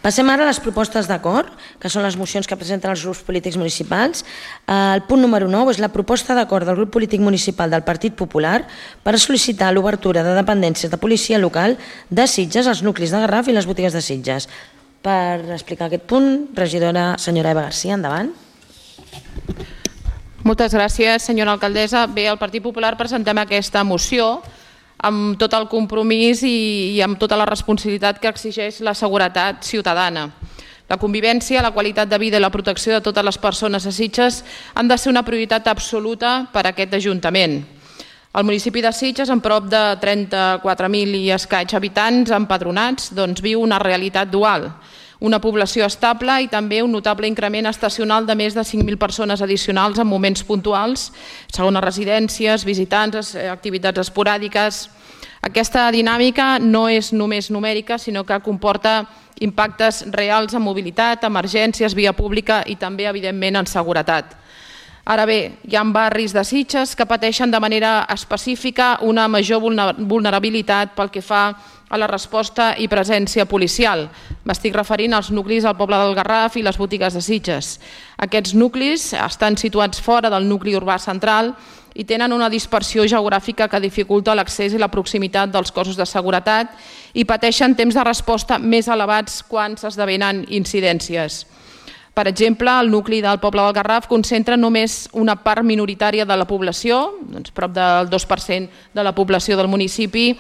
Passem ara a les propostes d'acord, que són les mocions que presenten els grups polítics municipals. El punt número 9 és la proposta d'acord del grup polític municipal del Partit Popular per sol·licitar l'obertura de dependències de policia local de Sitges, als nuclis de Garraf i les botigues de Sitges. Per explicar aquest punt, regidora senyora Eva Garcia, endavant. Moltes gràcies, senyora alcaldessa. Bé, el Partit Popular presentem aquesta moció amb tot el compromís i amb tota la responsabilitat que exigeix la seguretat ciutadana. La convivència, la qualitat de vida i la protecció de totes les persones a Sitges han de ser una prioritat absoluta per a aquest Ajuntament. El municipi de Sitges, amb prop de 34.000 i escaig habitants empadronats, viu una realitat dual. Una població estable i també un notable increment estacional de més de 5.000 persones addicionals en moments puntuals, segones residències, visitants, activitats esporàdiques. Aquesta dinàmica no és només numèrica, sinó que comporta impactes reals en mobilitat, emergències, via pública i també, evidentment, en seguretat. Ara bé, hi ha barris de Sitges que pateixen de manera específica una major vulnerabilitat pel que fa a la resposta i presència policial. M'estic referint als nuclis al poble del Garraf i les botigues de Sitges. Aquests nuclis estan situats fora del nucli urbà central i tenen una dispersió geogràfica que dificulta l'accés i la proximitat dels cossos de seguretat i pateixen temps de resposta més elevats quan s'esdevenen incidències. Per exemple, el nucli del poble del Garraf concentra només una part minoritària de la població, prop del 2% de la població del municipi,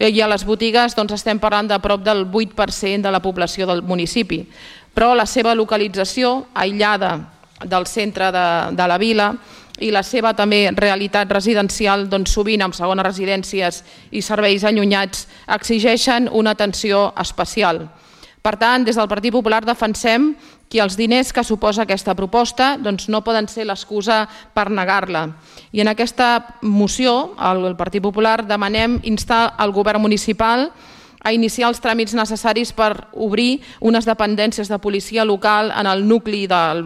i a les botigues estem parlant de prop del 8% de la població del municipi. Però la seva localització, aïllada del centre de la vila, i la seva també realitat residencial, sovint amb segones residències i serveis allunyats, exigeixen una atenció especial. Per tant, des del Partit Popular defensem que els diners que suposa aquesta proposta no poden ser l'excusa per negar-la. I en aquesta moció, el Partit Popular demanem instar el govern municipal a iniciar els tràmits necessaris per obrir unes dependències de policia local en el nucli del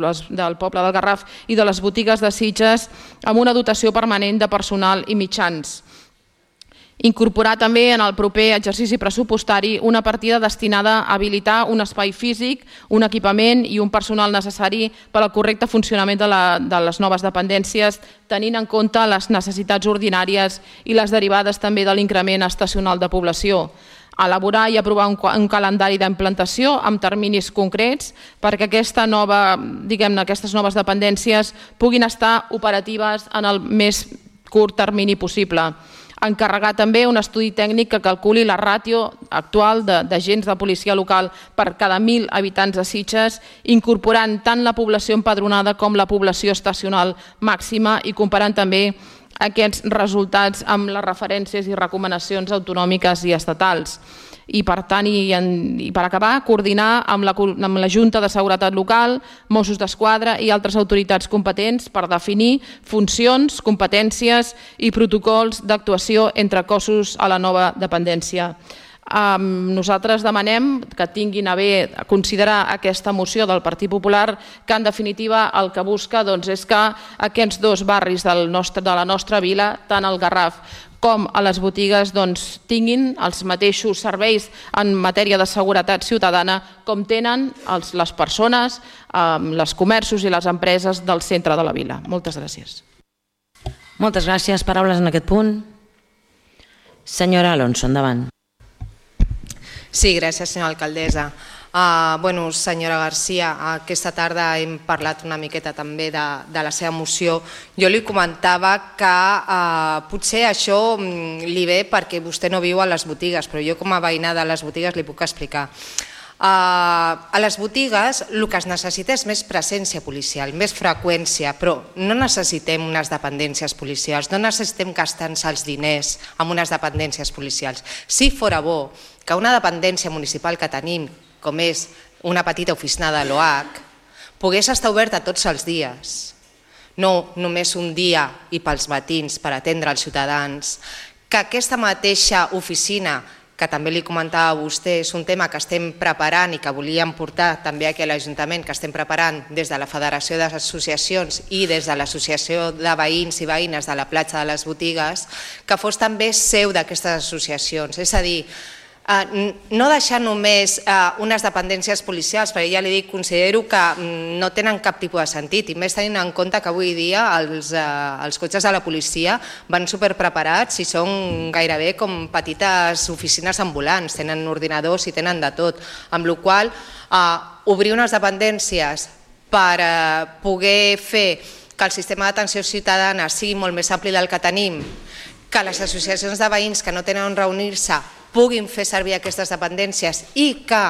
poble del Garraf i de les botigues de Sitges amb una dotació permanent de personal i mitjans. Incorporar també en el proper exercici pressupostari una partida destinada a habilitar un espai físic, un equipament i un personal necessari per al correcte funcionament de les noves dependències, tenint en compte les necessitats ordinàries i les derivades també de l'increment estacional de població. Elaborar i aprovar un calendari d'implantació amb terminis concrets perquè aquestes noves dependències puguin estar operatives en el més curt termini possible. Encarregar també un estudi tècnic que calculi la ràtio actual d'agents de policia local per cada 1.000 habitants de Sitges, incorporant tant la població empadronada com la població estacional màxima i comparant també aquests resultats amb les referències i recomanacions autonòmiques i estatals. I per tant, i per acabar, coordinar amb la Junta de Seguretat Local, Mossos d'Esquadra i altres autoritats competents per definir funcions, competències i protocols d'actuació entre cossos a la nova dependència. Nosaltres demanem que tinguin a bé considerar aquesta moció del Partit Popular, que en definitiva el que busca és que aquests dos barris de la nostra vila, tant el Garraf com a les botigues, tinguin els mateixos serveis en matèria de seguretat ciutadana com tenen les persones, els comerços i les empreses del centre de la vila. Moltes gràcies. Moltes gràcies. Paraules en aquest punt. Senyora Alonso, endavant. Sí, gràcies, senyora alcaldessa. Senyora Garcia, aquesta tarda hem parlat una miqueta també de la seva moció. Jo li comentava que potser això li ve perquè vostè no viu a les botigues, però jo com a veïna de les botigues li puc explicar. A les botigues el que es necessita és més presència policial, més freqüència, però no necessitem unes dependències policials, no necessitem gastar-nos els diners en unes dependències policials. Si fora bo que una dependència municipal que tenim, com és una petita oficina de l'OH, pogués estar oberta tots els dies, no només un dia i pels matins per atendre els ciutadans, que aquesta mateixa oficina, que també li comentava a vostè, és un tema que estem preparant i que volíem portar també aquí a l'Ajuntament, que estem preparant des de la Federació d'Associacions i des de l'Associació de Veïns i Veïnes de la Platja de les Botigues, que fos també seu d'aquestes associacions. És a dir, no deixar només unes dependències policials, perquè ja li dic, considero que no tenen cap tipus de sentit, i més tenint en compte que avui dia els cotxes de la policia van superpreparats i són gairebé com petites oficines ambulants, tenen ordinadors i tenen de tot, amb la qual obrir unes dependències per poder fer que el sistema d'atenció ciutadana sigui molt més ampli del que tenim, que les associacions de veïns que no tenen on reunir-se puguin fer servir aquestes dependències i que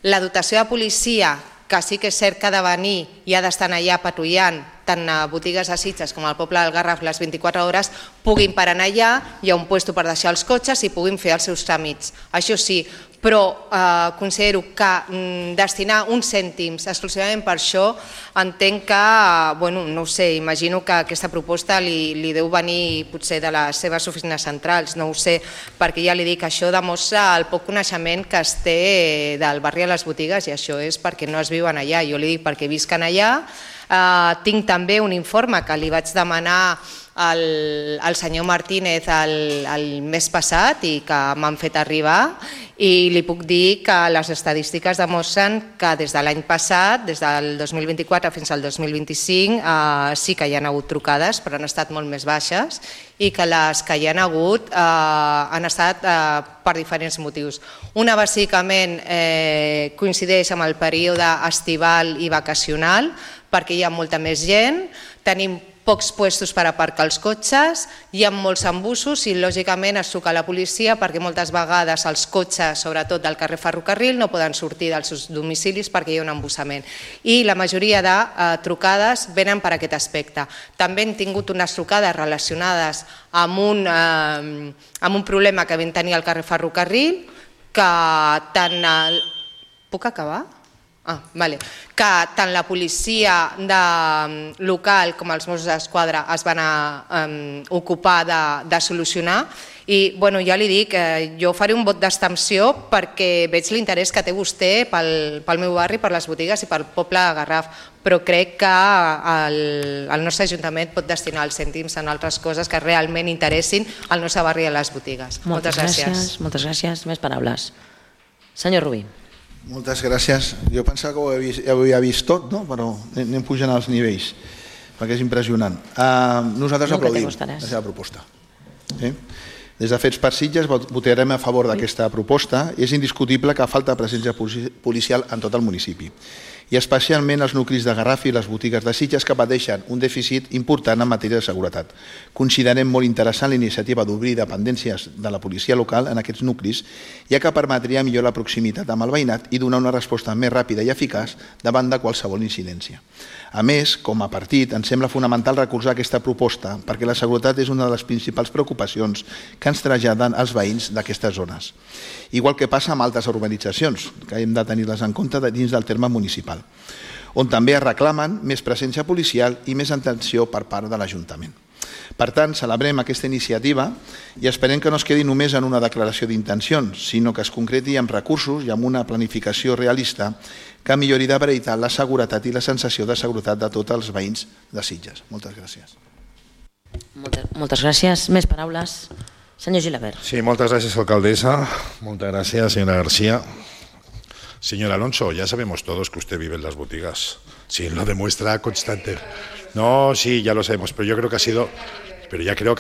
la dotació de policia, que sí que és cert que ha de venir i ha d'estar allà patrullant tant a botigues de Sitges com al poble del Garraf les 24 hores, puguin parar allà, hi ha un lloc per deixar els cotxes i puguin fer els seus tràmits. Això sí, però considero que destinar uns cèntims exclusivament per això, entenc que, no ho sé, imagino que aquesta proposta li deu venir potser de les seves oficines centrals, no ho sé, perquè ja li dic, això demostra el poc coneixement que es té del barri a les botigues i això és perquè no es viuen allà, jo li dic perquè visquen allà. Tinc també un informe que li vaig demanar al senyor Martínez el mes passat i que m'han fet arribar i li puc dir que les estadístiques demostren que des de l'any passat, des del 2024 fins al 2025, sí que hi ha hagut trucades, però han estat molt més baixes i que les que hi ha hagut han estat per diferents motius. Una bàsicament coincideix amb el període estival i vacacional, perquè hi ha molta més gent, tenim pocs puestos per aparcar els cotxes, hi ha molts embussos i lògicament es truca a la policia perquè moltes vegades els cotxes, sobretot del carrer Ferrocarril, no poden sortir dels seus domicilis perquè hi ha un embussament. I la majoria de trucades venen per aquest aspecte. També hem tingut unes trucades relacionades amb un problema que vam tenir al carrer Ferrocarril, que tant... Puc acabar? Que tant la policia local com els Mossos d'Esquadra es van ocupar de solucionar i ja li dic, jo faré un vot d'abstenció perquè veig l'interès que té vostè pel meu barri, per les botigues i pel poble de Garraf, però crec que el nostre Ajuntament pot destinar els cèntims en altres coses que realment interessin al nostre barri i a les botigues. Moltes gràcies. Moltes gràcies. Més paraules. Senyor Rubí. Moltes gràcies. Jo pensava que ho havia vist tot, però anem pujant als nivells, perquè és impressionant. Nosaltres aplaudim la seva proposta. Des de Fets per Sitges votarem a favor d'aquesta proposta. És indiscutible que falta presència policial en tot el municipi, i especialment els nuclis de Garraf i les botigues de Sitges que pateixen un dèficit important en matèria de seguretat. Considerem molt interessant la iniciativa d'obrir dependències de la policia local en aquests nuclis, ja que permetria millorar la proximitat amb el veïnat i donar una resposta més ràpida i eficaç davant de qualsevol incidència. A més, com a partit, ens sembla fonamental recolzar aquesta proposta perquè la seguretat és una de les principals preocupacions que ens traslladen els veïns d'aquestes zones. Igual que passa amb altres urbanitzacions, que hem de tenir-les en compte dins del terme municipal, on també es reclamen més presència policial i més atenció per part de l'Ajuntament. Per tant, celebrem aquesta iniciativa i esperem que no es quedi només en una declaració d'intencions, sinó que es concreti amb recursos i amb una planificació realista que millori de veritat la seguretat i la sensació de seguretat de tots els veïns de Sitges. Moltes gràcies. Moltes gràcies. Més paraules. Senyor Gilabert. Sí, moltes gràcies, alcaldesa. Moltes gràcies, señora García. Señor Alonso, ya sabemos todos que usted vive en las boutiques. Sí, lo demuestra constante. No, sí, ya lo sabemos, pero yo creo que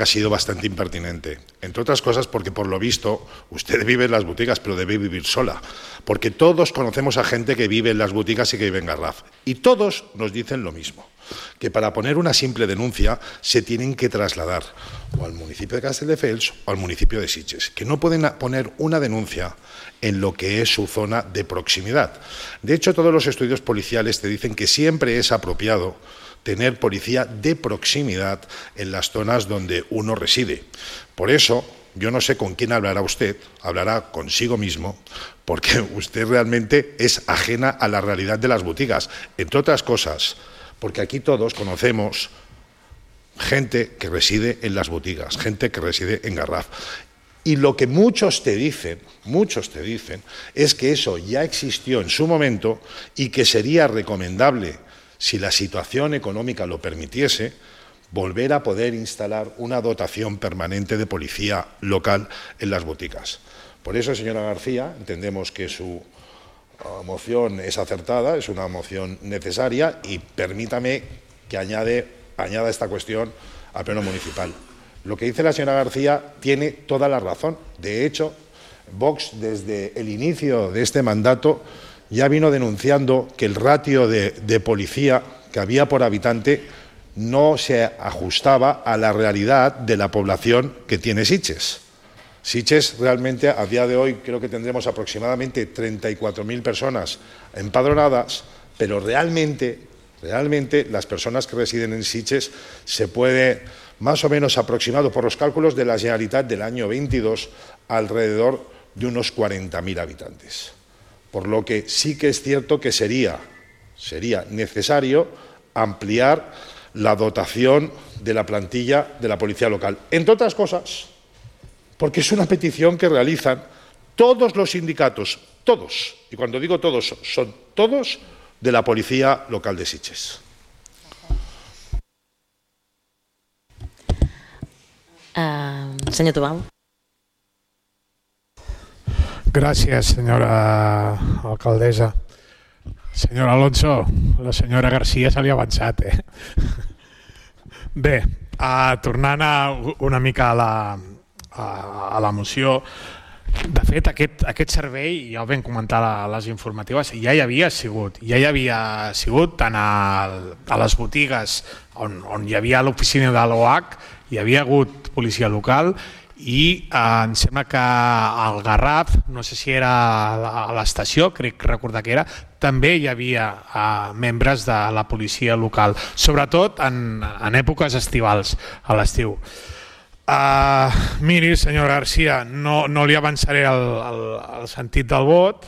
ha sido bastante impertinente. Entre otras cosas porque, por lo visto, usted vive en las boutiques, pero debe vivir sola. Porque todos conocemos a gente que vive en las boutiques y que vive en Garraf. Y todos nos dicen lo mismo, que para poner una simple denuncia se tienen que trasladar o al municipio de Castelldefels o al municipio de Sitges, que no pueden poner una denuncia en lo que es su zona de proximidad. De hecho, todos los estudios policiales te dicen que siempre es apropiado tener policía de proximidad en las zonas donde uno reside. Por eso, yo no sé con quién hablará usted, hablará consigo mismo, porque usted realmente es ajena a la realidad de las boutiques, entre otras cosas, porque aquí todos conocemos gente que reside en las boutiques, gente que reside en Garraf. Y lo que muchos te dicen es que eso ya existió en su momento y que sería recomendable, si la situación económica lo permitiese, volver a poder instalar una dotación permanente de policía local en las boutiques. Por eso, señora García, entendemos que su moción es acertada, es una moción necesaria y permítame que añada esta cuestión al Pleno Municipal. Lo que dice la señora García tiene toda la razón. De hecho, Vox, desde el inicio de este mandato, ya vino denunciando que el ratio de policía que había por habitante no se ajustaba a la realidad de la población que tiene Sitges. Sitges realmente a día de hoy creo que tendremos aproximadamente 34.000 personas empadronadas, pero realmente las personas que residen en Sitges se puede más o menos aproximado por los cálculos de la Generalitat del año 22 alrededor de unos 40.000 habitantes. Por lo que sí que es cierto que sería necesario ampliar la dotación de la plantilla de la policía local. Entre otras cosas, porque es una petición que realizan todos los sindicatos, todos, y cuando digo todos, son todos de la policía local de Sitges. Senyor Tubau. Gràcies, senyora alcaldessa. Senyor Alonso, la senyora García se li ha avançat, Bé, tornant una mica a la moció, de fet, aquest servei, ja ho vam comentar a les informatives, ja hi havia sigut tant a les botigues on hi havia l'oficina de l'OH, hi havia hagut policia local i em sembla que al Garraf, no sé si era a l'estació, crec recordar que era, també hi havia membres de la policia local, sobretot en èpoques estivals, a l'estiu. Miri, senyor García, no li avançaré el sentit del vot.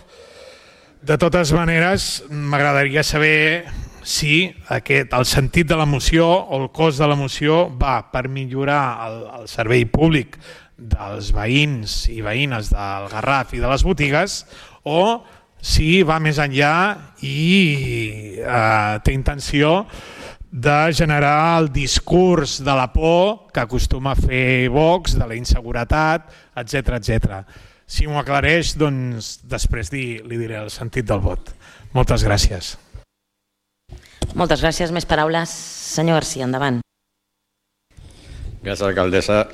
De totes maneres, m'agradaria saber si el sentit de la moció o el cos de la moció va per millorar el servei públic dels veïns i veïnes del Garraf i de les botigues o si va més enllà i té intenció de generar el discurs de la por que acostuma a fer Vox, de la inseguretat, etc. Si m'ho aclareix, doncs després li diré el sentit del vot. Moltes gràcies. Moltes gràcies. Més paraules. Senyor García, endavant. Gràcies, alcaldessa.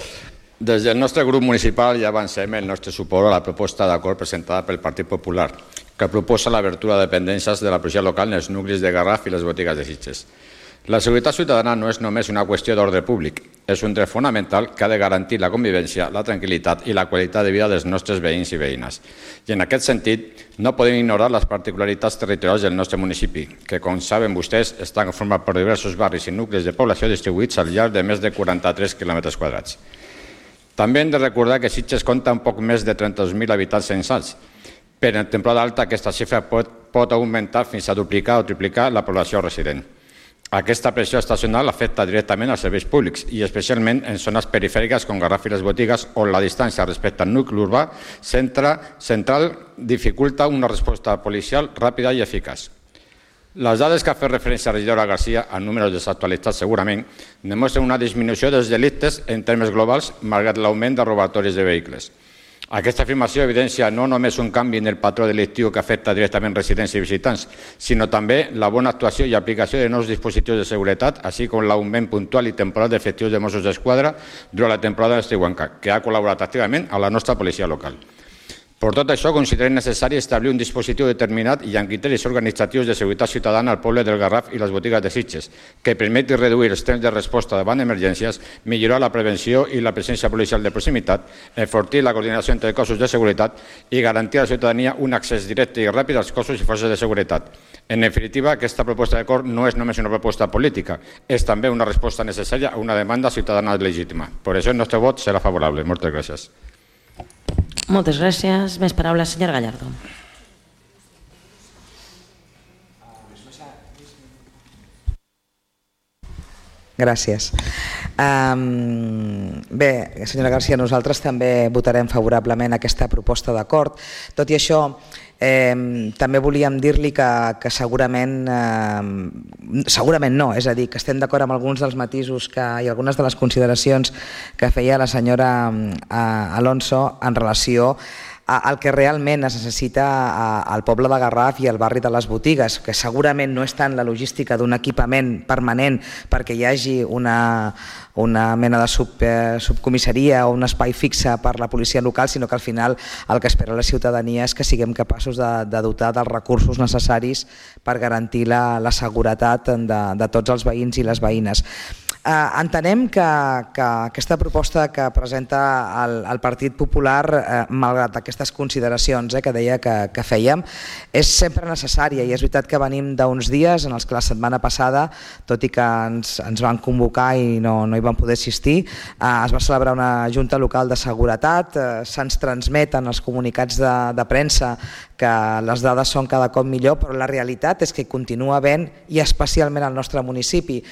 Des del nostre grup municipal ja avancem el nostre suport a la proposta d'acord presentada pel Partit Popular, que proposa l'obertura de dependències de la policia local en els nuclis de Garraf i les botigues de Sitges. La seguretat ciutadana no és només una qüestió d'ordre públic, és un dret fonamental que ha de garantir la convivència, la tranquil·litat i la qualitat de vida dels nostres veïns i veïnes. I en aquest sentit, no podem ignorar les particularitats territorials del nostre municipi, que, com saben vostès, estan format per diversos barris i nuclis de població distribuïts al llarg de més de 43 km². També hem de recordar que Sitges compta amb poc més de 32.000 habitants censats. Per en temporada alta aquesta xifra pot augmentar fins a duplicar o triplicar la població resident. Aquesta pressió estacional afecta directament als serveis públics i especialment en zones perifèriques com Garraf i les botigues on la distància respecte al nucli urbà central dificulta una resposta policial ràpida i eficaç. Les dades que ha fet referència a la regidora García, en números desactualitzats segurament, demostren una disminució dels delictes en termes globals malgrat l'augment de robatoris de vehicles. Aquesta afirmació evidencia no només un canvi en el patró delictiu que afecta directament residents i visitants, sinó també la bona actuació i aplicació de nous dispositius de seguretat, així com l'augment puntual i temporal d'efectius de Mossos d'Esquadra durant la temporada estiuenca, que ha col·laborat activament a la nostra policia local. Per tot això, considerem necessari establir un dispositiu determinat i amb criteris organitzatius de seguretat ciutadana al poble del Garraf i les botigues de Sitges, que permeti reduir els temps de resposta davant emergències, millorar la prevenció i la presència policial de proximitat, enfortir la coordinació entre cossos de seguretat i garantir a la ciutadania un accés directe i ràpid als cossos i forces de seguretat. En definitiva, aquesta proposta d'acord no és només una proposta política, és també una resposta necessària a una demanda ciutadana legítima. Per això el nostre vot serà favorable. Moltes gràcies. Moltes gràcies. Més paraules, senyor Gallardo. Gràcies. Bé, senyora García, nosaltres també votarem favorablement aquesta proposta d'acord. Tot i això, també volíem dir-li que segurament no, és a dir, que estem d'acord amb alguns dels matisos i algunes de les consideracions que feia la senyora Alonso en relació el que realment es necessita al poble de Garraf i al barri de les Botigues, que segurament no és tant la logística d'un equipament permanent perquè hi hagi una mena de subcomissaria o un espai fixe per la policia local, sinó que al final el que espera la ciutadania és que siguem capaços de dotar dels recursos necessaris per garantir la seguretat de tots els veïns i les veïnes. Entenem que aquesta proposta que presenta el Partit Popular, malgrat aquestes consideracions que deia que fèiem, és sempre necessària, i és veritat que venim d'uns dies en els que la setmana passada, tot i que ens van convocar i no hi van poder assistir, es va celebrar una junta local de seguretat, se'ns transmeten els comunicats de premsa que les dades són cada cop millor, però la realitat és que continua havent, i especialment al nostre municipi,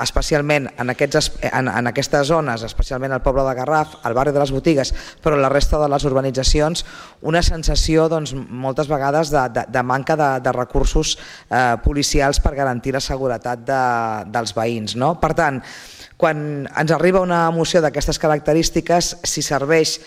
especialment en aquestes zones, especialment al poble de Garraf, al barri de les Botigues, però la resta de les urbanitzacions, una sensació moltes vegades de manca de recursos policials per garantir la seguretat dels veïns. Per tant, quan ens arriba una moció d'aquestes característiques, si serveix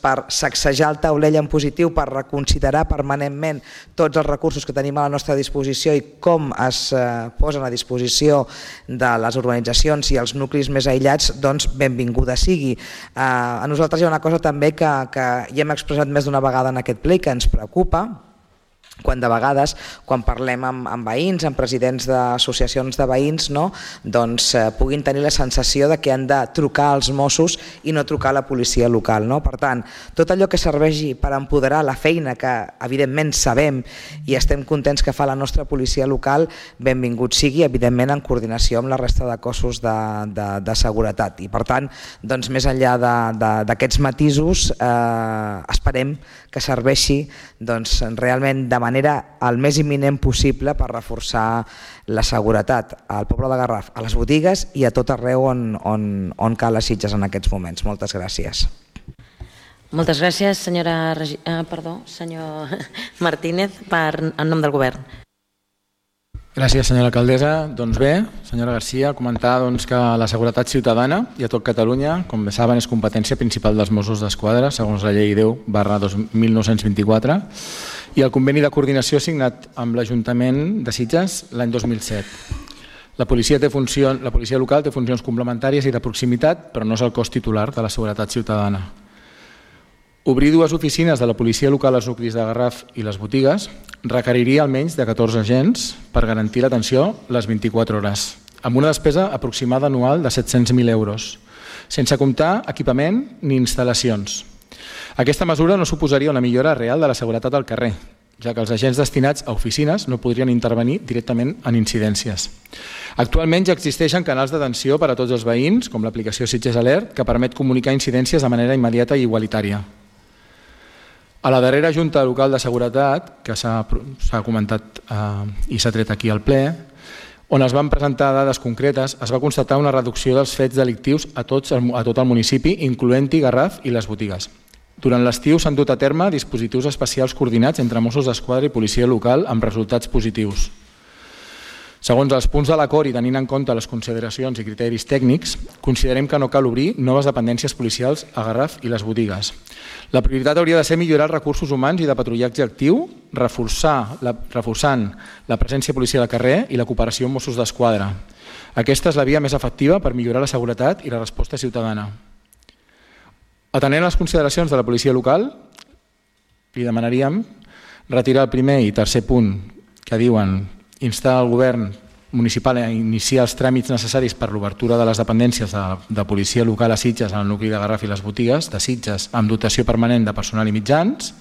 per sacsejar el taulell en positiu, per reconsiderar permanentment tots els recursos que tenim a la nostra disposició i com es posen a disposició de les urbanitzacions i els nuclis més aïllats, doncs benvinguda sigui. A nosaltres hi ha una cosa també que ja hem expressat més d'una vegada en aquest ple que ens preocupa, quan de vegades, quan parlem amb veïns, amb presidents d'associacions de veïns, doncs puguin tenir la sensació que han de trucar als Mossos i no trucar a la policia local. Per tant, tot allò que serveixi per empoderar la feina que evidentment sabem i estem contents que fa la nostra policia local, benvingut sigui, evidentment en coordinació amb la resta de cossos de seguretat. I per tant, més enllà d'aquests matisos, esperem que serveixi realment de manera el més imminent possible per reforçar la seguretat al poble de Garraf, a les Botigues i a tot arreu on cal a Sitges en aquests moments. Moltes gràcies. Moltes gràcies, senyor Martínez, en nom del govern. Gràcies, senyora alcaldessa. Doncs bé, senyora Garcia, comentar que la seguretat ciutadana i a tot Catalunya, com bé saben, és competència principal dels Mossos d'Esquadra, segons la llei 10/1924, i el conveni de coordinació signat amb l'Ajuntament de Sitges l'any 2007. La policia local té funcions complementàries i de proximitat, però no és el cos titular de la seguretat ciutadana. Obrir dues oficines de la policia local als nuclis de Garraf i les Botigues requeriria almenys de 14 agents per garantir l'atenció les 24 hores, amb una despesa aproximada anual de 700.000 euros, sense comptar equipament ni instal·lacions. Aquesta mesura no suposaria una millora real de la seguretat al carrer, ja que els agents destinats a oficines no podrien intervenir directament en incidències. Actualment ja existeixen canals d'atenció per a tots els veïns, com l'aplicació Sitges Alert, que permet comunicar incidències de manera immediata i igualitària. A la darrera Junta Local de Seguretat, que s'ha comentat i s'ha tret aquí al ple, on es van presentar dades concretes, es va constatar una reducció dels fets delictius a tot el municipi, incloent-hi Garraf i les Botigues. Durant l'estiu s'han dut a terme dispositius especials coordinats entre Mossos d'Esquadra i policia local amb resultats positius. Segons els punts de l'acord i tenint en compte les consideracions i criteris tècnics, considerem que no cal obrir noves dependències policials a Garraf i les Botigues. La prioritat hauria de ser millorar els recursos humans i de patrullatge actiu, reforçant la presència policial al carrer i la cooperació amb Mossos d'Esquadra. Aquesta és la via més efectiva per millorar la seguretat i la resposta ciutadana. Atenent les consideracions de la policia local, li demanaríem retirar el primer i tercer punt que diuen instar el govern municipal a iniciar els tràmits necessaris per l'obertura de les dependències de policia local a Sitges en el nucli de Garraf i les Botigues de Sitges amb dotació permanent de personal i mitjans,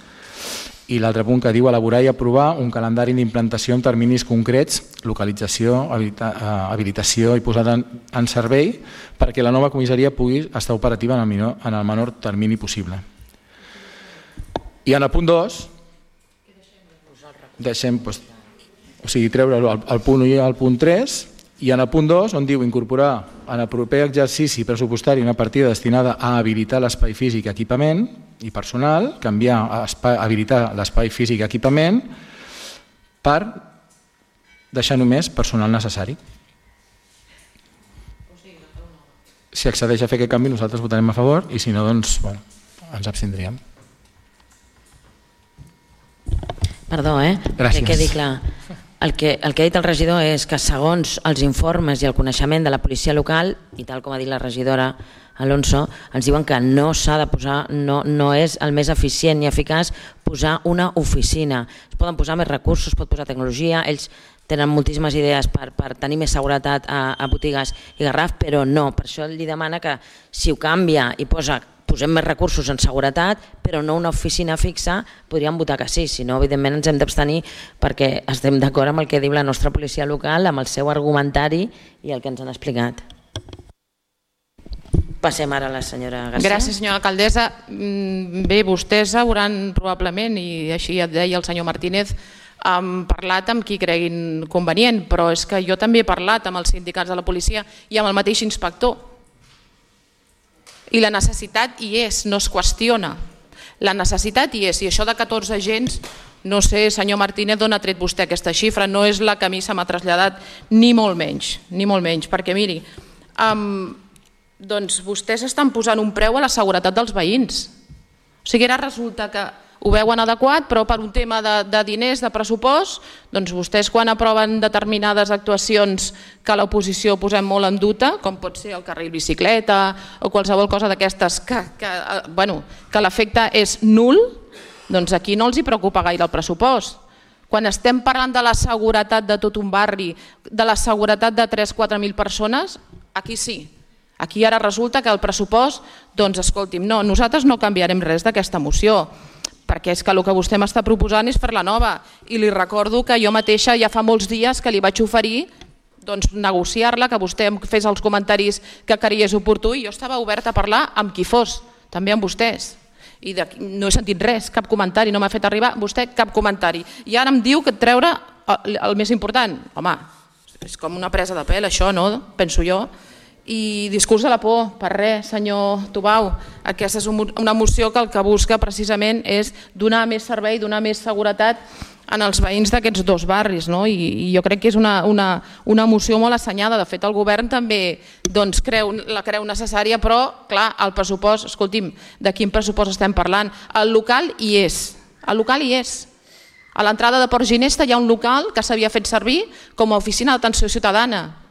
i l'altre punt que diu elaborar i aprovar un calendari d'implantació en terminis concrets, localització, habilitació i posada en servei perquè la nova comissaria pugui estar operativa en el menor termini possible. I en el punt 2 deixem treure el punt 1 i el punt 3, i en el punt 2 on diu incorporar en el proper exercici pressupostari una partida destinada a habilitar l'espai físic i equipament i personal, habilitar l'espai físic i equipament per deixar només personal necessari. Si accedeix a fer aquest canvi nosaltres votarem a favor i si no, doncs ens abstindríem. Perdó, Gràcies. que quedi clar. El que ha dit el regidor és que segons els informes i el coneixement de la policia local, i tal com ha dit la regidora Alonso, ens diuen que no s'ha de posar, no és el més eficient ni eficaç posar una oficina. Es poden posar més recursos, es pot posar tecnologia, ells tenen moltíssimes idees per tenir més seguretat a botigues i Garraf, però no. Per això li demana que si ho canvia i posem més recursos en seguretat, però no una oficina fixa, podríem votar que sí. Si no, evidentment ens hem d'abstenir perquè estem d'acord amb el que diu la nostra policia local, amb el seu argumentari i el que ens han explicat. Passem ara a la senyora García. Gràcies, senyora alcaldessa. Bé, vostès hauran probablement, i així et deia el senyor Martínez, parlat amb qui creguin convenient, però és que jo també he parlat amb els sindicats de la policia i amb el mateix inspector. I la necessitat hi és, no es qüestiona. La necessitat hi és, i això de 14 agents, no sé, senyor Martínez, d'on ha tret vostè aquesta xifra, no és la que a mi se m'ha traslladat, ni molt menys, perquè miri, doncs vostès estan posant un preu a la seguretat dels veïns. O sigui, ara resulta que ho veuen adequat, però per un tema de diners, de pressupost, doncs vostès quan aproven determinades actuacions que l'oposició posem molt en dubte, com pot ser el carril bicicleta o qualsevol cosa d'aquestes que l'efecte és nul, doncs aquí no els hi preocupa gaire el pressupost. Quan estem parlant de la seguretat de tot un barri, de la seguretat de 3.000-4.000 persones, aquí sí. Aquí ara resulta que el pressupost, doncs escolti'm, no, nosaltres no canviarem res d'aquesta moció, perquè és que el que vostè m'està proposant és fer-la nova, i li recordo que jo mateixa ja fa molts dies que li vaig oferir negociar-la, que vostè em fes els comentaris que creiés oportú, i jo estava oberta a parlar amb qui fos, també amb vostès. I no he sentit res, cap comentari, no m'ha fet arribar vostè cap comentari. I ara em diu que treure el més important. Home, és com una presa de pèl això, no? Penso jo. I discurs de la por, per res, senyor Tubau. Aquesta és una moció que el que busca precisament és donar més servei, donar més seguretat en els veïns d'aquests dos barris, i jo crec que és una moció molt assenyada. De fet, el govern també la creu necessària, però clar, el pressupost, escolti'm, de quin pressupost estem parlant? El local hi és, el local hi és. A l'entrada de Port Ginesta hi ha un local que s'havia fet servir com a oficina d'atenció ciutadana.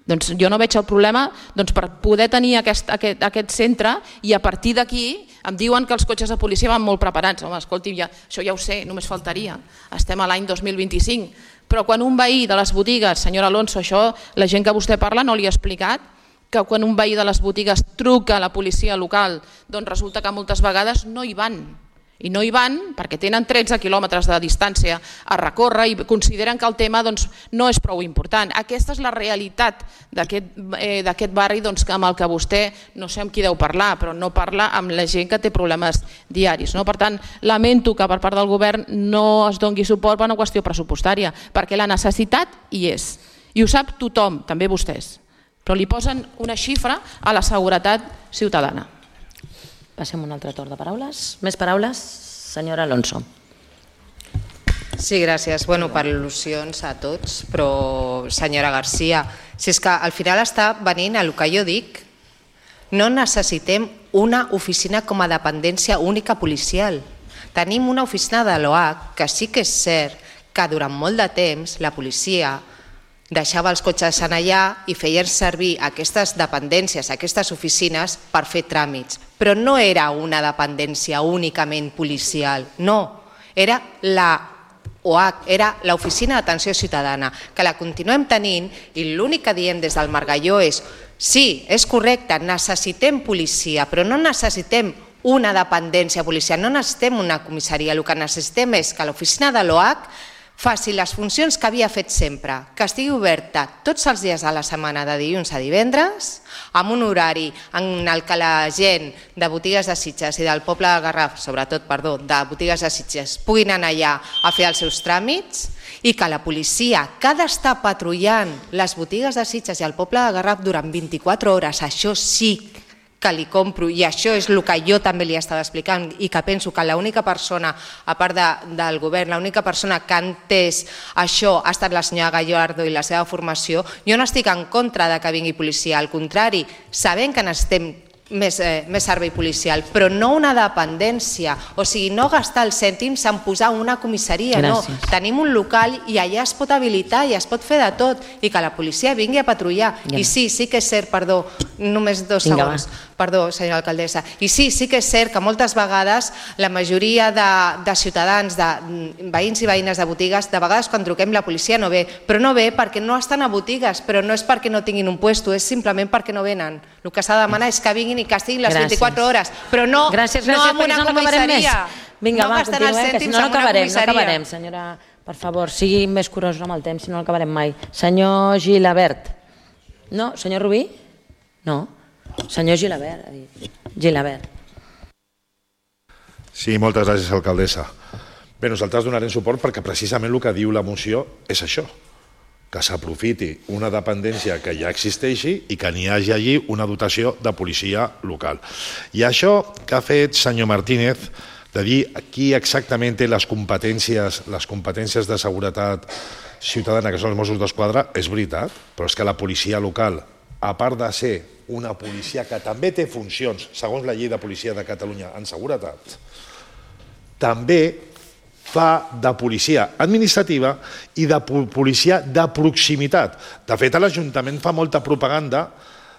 Doncs jo no veig el problema per poder tenir aquest centre, i a partir d'aquí em diuen que els cotxes de policia van molt preparats. Home, escolti, això ja ho sé, només faltaria. Estem a l'any 2025. Però quan un veí de les botigues, senyora Alonso, això la gent que vostè parla no li ha explicat, que quan un veí de les botigues truca a la policia local, doncs resulta que moltes vegades no hi van. I no hi van perquè tenen 13 quilòmetres de distància a recórrer i consideren que el tema no és prou important. Aquesta és la realitat d'aquest barri amb el que vostè, no sé amb qui deu parlar, però no parla amb la gent que té problemes diaris. Per tant, lamento que per part del govern no es doni suport per una qüestió pressupostària, perquè la necessitat hi és. I ho sap tothom, també vostès, però li posen una xifra a la seguretat ciutadana. Passem a un altre torn de paraules. Més paraules? Senyora Alonso. Sí, gràcies. Per al·lusions a tots, però senyora García, si és que al final està venint el que jo dic, no necessitem una oficina com a dependència única policial. Tenim una oficina de l'OAC que sí que és cert que durant molt de temps la policia deixava els cotxes allà i feien servir aquestes dependències, aquestes oficines, per fer tràmits. Però no era una dependència únicament policial, no. Era la OAC, era l'Oficina d'Atenció Ciutadana, que la continuem tenint, i l'únic que diem des del Margalló és sí, és correcte, necessitem policia, però no necessitem una dependència policial, no necessitem una comissaria, el que necessitem és que l'oficina de l'OAC faci les funcions que havia fet sempre, que estigui oberta tots els dies de la setmana de dilluns a divendres, amb un horari en el que la gent de botigues de Sitges i del poble del Garraf, sobretot, de botigues de Sitges, puguin anar allà a fer els seus tràmits, i que la policia, que ha d'estar patrullant les botigues de Sitges i el poble del Garraf durant 24 hores, això sí que li compro, i això és el que jo també li estava explicant, i que penso que l'única persona, a part del govern, l'única persona que ha entès això ha estat la senyora Gallardo i la seva formació. Jo no estic en contra de que vingui policia, al contrari, sabem que necessitem més servei policial, però no una dependència, o sigui, no gastar els cèntims en posar una comissaria, no. Tenim un local i allà es pot habilitar i es pot fer de tot i que la policia vingui a patrullar. I sí que és cert, perdó, només 2 segons, perdó, senyora alcaldessa, i sí que és cert que moltes vegades la majoria de ciutadans, de veïns i veïnes de botigues, de vegades quan truquem la policia no ve, però no ve perquè no estan a botigues, però no és perquè no tinguin un puesto, és simplement perquè no venen. El que s'ha de demanar és que vinguin i que estiguin les 24 hores, però no amb una comissaria. Vinga, va, continuem, que si no acabarem. Senyora, per favor, sigui més curosa amb el temps, si no acabarem mai. Senyor Gilabert. No? Senyor Rubí? No. Senyor Gilabert, ha dit. Gilabert. Sí, moltes gràcies, alcaldessa. Bé, nosaltres donarem suport perquè precisament el que diu la moció és això, que s'aprofiti una dependència que ja existeixi i que n'hi hagi allí una dotació de policia local. I això que ha fet senyor Martínez, de dir aquí exactament té les competències de seguretat ciutadana que són els Mossos d'Esquadra, és veritat, però és que la policia local, a part de ser una policia que també té funcions, segons la llei de policia de Catalunya en seguretat, també fa de policia administrativa i de policia de proximitat. De fet, l'Ajuntament fa molta propaganda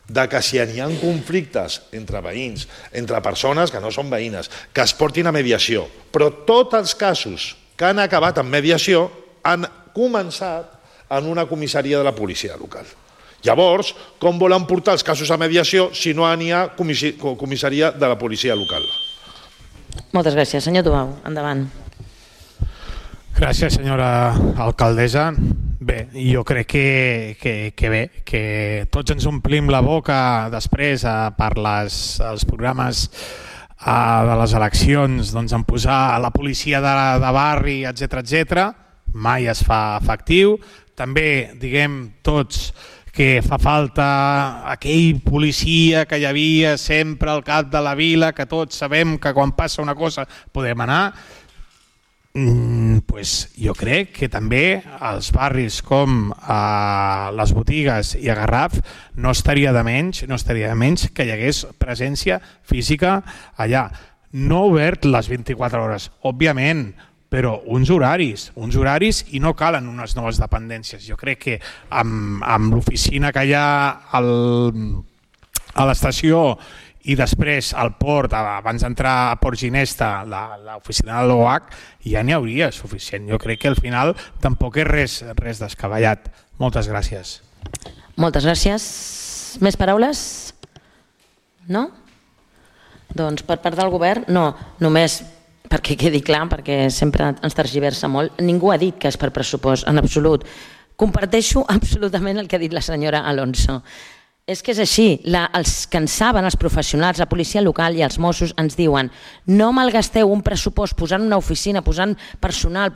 de que si hi ha conflictes entre veïns, entre persones que no són veïnes, que es portin a mediació. Però tots els casos que han acabat en mediació han començat en una comissaria de la policia local. Llavors, com volen portar els casos a mediació si no n'hi ha comissaria de la policia local? Moltes gràcies. Senyor Tubau, endavant. Gràcies, senyora alcaldessa. Bé, jo crec que tots ens omplim la boca després per els programes de les eleccions en posar la policia de barri, etc. Mai es fa efectiu. També diguem tots que fa falta aquell policia que hi havia sempre al cap de la vila, que tots sabem que quan passa una cosa podem anar. Jo crec que també als barris com a les botigues i a Garraf no estaria de menys que hi hagués presència física allà. No obert les 24 hores, òbviament, però uns horaris i no calen unes noves dependències. Jo crec que amb l'oficina que hi ha a l'estació i després al port, abans d'entrar a Port Ginesta, l'oficina de l'OH, ja n'hi hauria suficient. Jo crec que al final tampoc és res descabellat. Moltes gràcies. Moltes gràcies. Més paraules? No? Doncs per part del govern, no. Només perquè quedi clar, perquè sempre ens tergiversa molt, ningú ha dit que és per pressupost, en absolut. Comparteixo absolutament el que ha dit la senyora Alonso. És que és així, els que en saben, els professionals, la policia local i els Mossos ens diuen no malgasteu un pressupost posant una oficina, posant personal,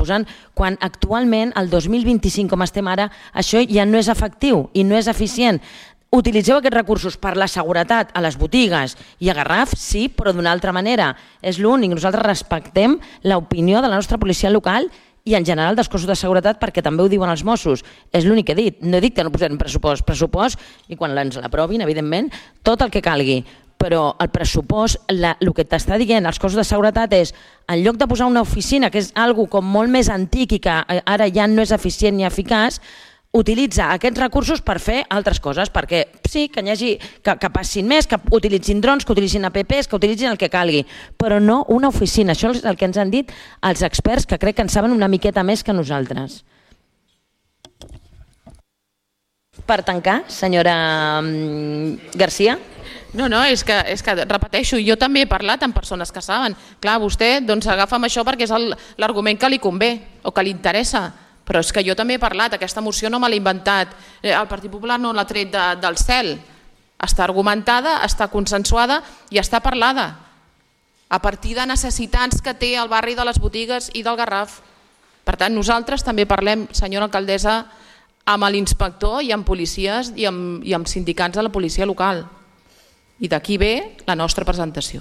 quan actualment, el 2025 com estem ara, això ja no és efectiu i no és eficient. Utilitzeu aquests recursos per la seguretat a les botigues i a Garraf, sí, però d'una altra manera. És l'únic, nosaltres respectem l'opinió de la nostra policia local i en general dels cossos de seguretat perquè també ho diuen els Mossos. És l'únic que he dit. No he dit que no posem pressupost i quan ens l'aprovin, evidentment, tot el que calgui. Però el pressupost, el que t'està dient els cossos de seguretat és, en lloc de posar una oficina, que és una cosa com molt més antic i que ara ja no és eficient ni eficaç, utilitza aquests recursos per fer altres coses, perquè sí, que passin més, que utilitzin drons, que utilitzin apps, que utilitzin el que calgui, però no una oficina. Això és el que ens han dit els experts, que crec que en saben una miqueta més que nosaltres. Per tancar, senyora Garcia. No, és que repeteixo, jo també he parlat amb persones que saben. Clar, vostè agafa amb això perquè és l'argument que li convé o que li interessa. Però és que jo també he parlat, aquesta moció no me l'he inventat, el Partit Popular no l'ha tret del cel, està argumentada, està consensuada i està parlada a partir de necessitats que té el barri de les botigues i del Garraf. Per tant, nosaltres també parlem, senyora alcaldessa, amb l'inspector i amb policies i amb sindicats de la policia local. I d'aquí ve la nostra presentació.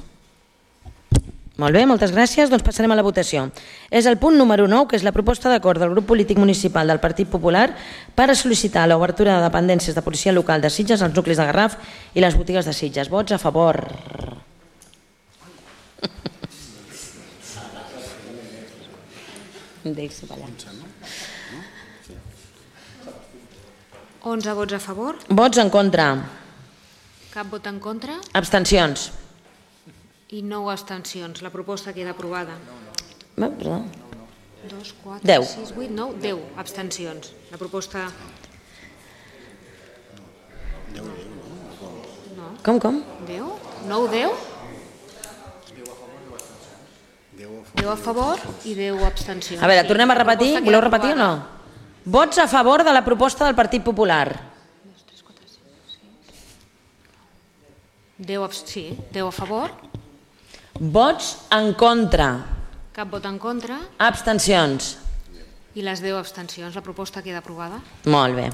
Molt bé, moltes gràcies. Doncs passarem a la votació. És el punt número 9, que és la proposta d'acord del grup polític municipal del Partit Popular per a sol·licitar l'obertura de dependències de policia local de Sitges als nuclis de Garraf i les botigues de Sitges. Vots a favor. Deixa ballar. 11 vots a favor. Vots en contra. Cap vot en contra. Abstencions. I 9 abstencions. La proposta queda aprovada. Perdó. 2, 4, 10. 6, 8, 9, 10 abstencions. La proposta... Com? 10? 9, 10? 10 a favor i 10 abstencions. A veure, tornem a repetir. Voleu repetir o no? Vots a favor de la proposta del Partit Popular. 10 a favor. Vots en contra. Cap vot en contra. Abstencions. I les 10 abstencions. La proposta queda aprovada. Molt bé.